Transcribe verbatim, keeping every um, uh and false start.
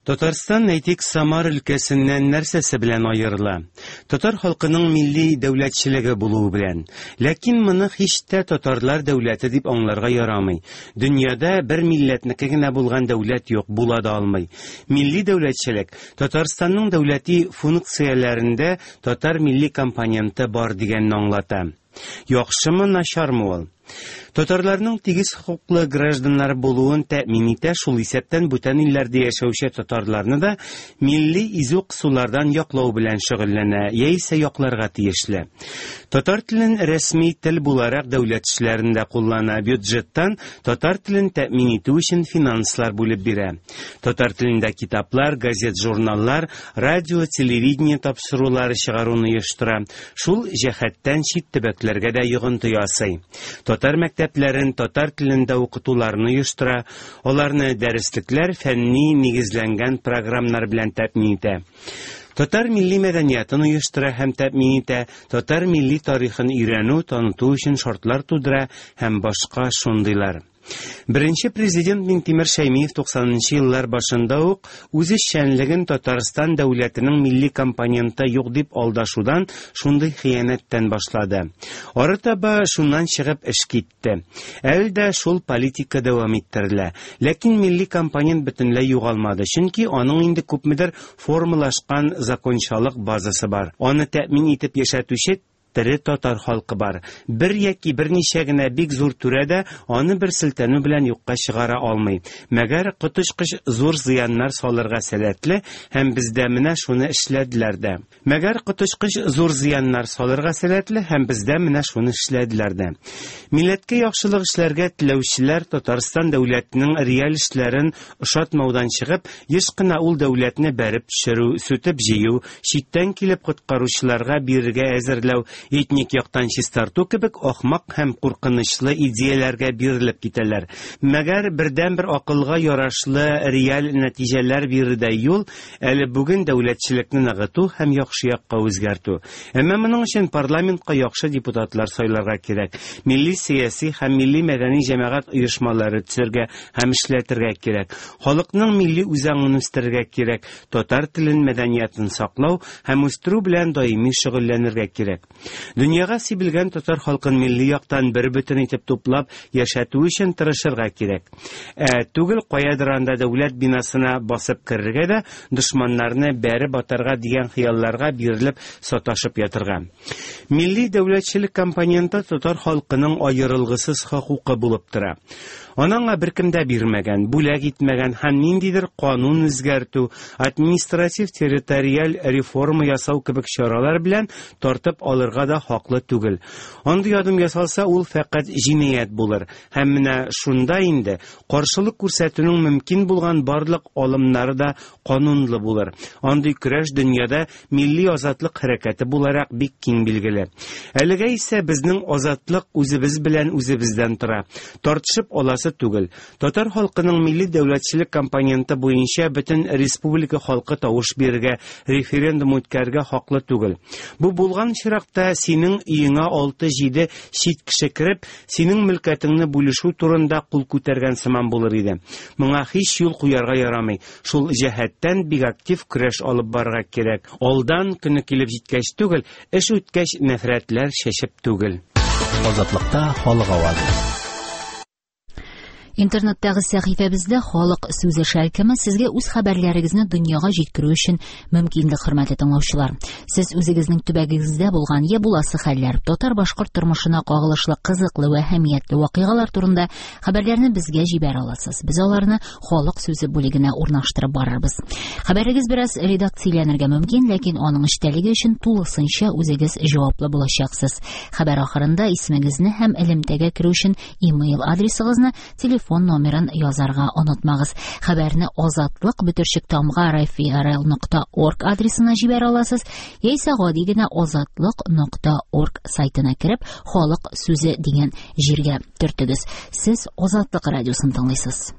Татарстан, әйтик, Самар өлкәсеннән нәрсәсе белән аерыла? Татар халкының милли дәүләтчелеге булуы белән. Ләкин моны һич тә татарлар дәүләте дип аңларга ярамый. Дөньяда бер милләтнеке генә булган дәүләт юк, була да алмый. Милли дәүләтчелек Татарстанның дәүләти функцияләрендә татар милли компоненты бар дигәнне аңлата. Яхшымы, начармы ул? Татарларның тигез хокуклы гражданнар булуын тәэмин итә, шул исәптән бүтән илләрдә яшәүче татарларны да милли изү кысулардан яклау белән шөгыльләнә, яисә якларга тиешле. Татар телен рәсми тел буларак дәүләт эшләрендә куллана, бюджеттан татар телен тәэмин итү өчен финанслар бүлеп бирә. Татар телендә китаплар, газет-журналлар, радио, телевидение тапшырулары чыгаруны оештыра. Шул җәһәттән чит төбәкләргә дә йогынты ясый. Татар мәктәпләрен татар телендә укытуларны оештыра, аларны дәреслекләр, фәнни нигезләнгән программалар белән тәэмин итә. Татар милли мәдәниятын оештыра һәм тәэмин итә, татар милли тарихын өйрәнү, таныту өчен шартлар тудыра һәм башка шундыйлар. Беренче президент Минтимер Шәймиев туксанынчы еллар башында ук үз эшчәнлеген Татарстан дәүләтенең милли компоненты юк дип алдашудан, шундый хыянәттән башлады. Арытаба шуннан чыгып эш китте. Әле дә шул политика дәвам иттерелә. Ләкин милли компонент бөтенләй югалмады, чөнки аның инде күпмедер формалашкан закончалык базасы бар. Аны тәэмин итеп яшәтүче тере татар халкы бар. Бер яки берничә генә бик зур түрә дә аны бер селтәнү белән юкка чыгара алмый. Мәгәр коточкыч зур зыяннар салырга сәләтле һәм бездә менә шуны эшләделәр дә. Мәгәр коточкыч зур зыяннар салырга сәләтле һәм бездә менә шуны эшләделәр дә. Милләткә яхшылык эшләргә теләүчеләр Татарстан дәүләтенең реаль эшләрен ошатмаудан чыгып, еш кына ул дәүләтне бәреп төшерү, сүтеп җыю, читтән килеп коткаручыларга бирергә әзерләү, этник яктан чистарту кебек ахмак һәм куркынычлы идеяләргә бирелеп китәләр. Мәгәр бердәнбер акылга ярашлы реаль нәтиҗәләр бирердәй юл әле бүген дәүләтчелекне ныгыту һәм яхшы якка үзгәртү. Әмма моның өчен парламентка яхшы депутатлар сайларга кирәк. Милли сәяси һәм милли мәдәни җәмәгать оешмалары төзергә һәм эшләтергә кирәк. Халыкның милли үзаңын үстерергә кирәк. Татар телен, мәдәниятын саклау һәм үстерү белән даими шөгыльләнергә кирәк. Дөньяга сибелгән татар халкын милли яктан бер бөтен итеп туплап яшәтү өчен тырышырга кирәк. Ә түгел каядыр анда дәүләт бинасына басып керергә дә дошманнарны бәреп атарга дигән хыялларга бирелеп саташып ятырга. Милли дәүләтчелек компоненты татар халкының аерылгысыз хокукы булып тора. Анаңа беркем дә бирмәгән, бүләк итмәгән һәм ниндидер канун үзгәртү, административ территориаль реформа ясау кебек чаралар белән тартып алырга да хаклы түгел. Андый адым ясалса, ул фәкать җинаять булыр. Һәм менә шунда инде каршылык күрсәтүнең мөмкин булган барлык алымнары да канунлы булыр. Андый көрәш дөньяда милли азатлык хәрәкәте буларак бик киң билгеле. Әлегә исә безнең азатлык үзебез белән үзебездән тора. Тартышып аласы түгел. Татар халкының милли дәүләтчелек компоненты буенча бөтен республика халкы тавыш бирергә, референдум үткәрергә хаклы түгел. Бу булган очракта синең өеңә алты-җиде чит кеше кереп, синең мөлкәтеңне бүлешү турында кул күтәргән сыман булыр иде. Моңа һич юл куярга ярамый. Шул җәһәттән бик актив көрәш алып барырга кирәк. Алдан көне килеп җиткәч түгел, эш үткәч нәфрәтләр чәчеп түгел. Азатлыкта халык авазы. Интернеттагы сәхифәбездә халык сүзе шәлкеме сезгә үз хәбәрләрегезне дөньяга җиткерү өчен мөмкинлек, хөрмәтле тыңлаучылар. Сез үзегезнең төбәгегездә булган я буласы хәлләр, татар-башкорт тормышына кагылышлы кызыклы ва әһәмиятле вакыйгалар турында хәбәрләрне безгә җибәрә аласыз. Без аларны халык сүзе бүлегенә урнаштырып барырбыз. Хәбәрегез бераз редакцияләнергә мөмкин, ләкин аның эчтәлеге өчен тулысынча үзегез җаваплы булачаксыз. Хәбәр ахырында исемегезне һәм элемтәгә керү өчен имейл адресыгызны, телефон телефон номерын язарга онытмагыз. Хәбәрне азатлык бөтерчек тамга рфрл нокта орг адресына җибәрә аласыз, яисә гади генә азатлык нокта орг сайтына кереп, халык сүзе дигән җиргә төртегез. Сез Азатлык радиосын тыңлыйсыз.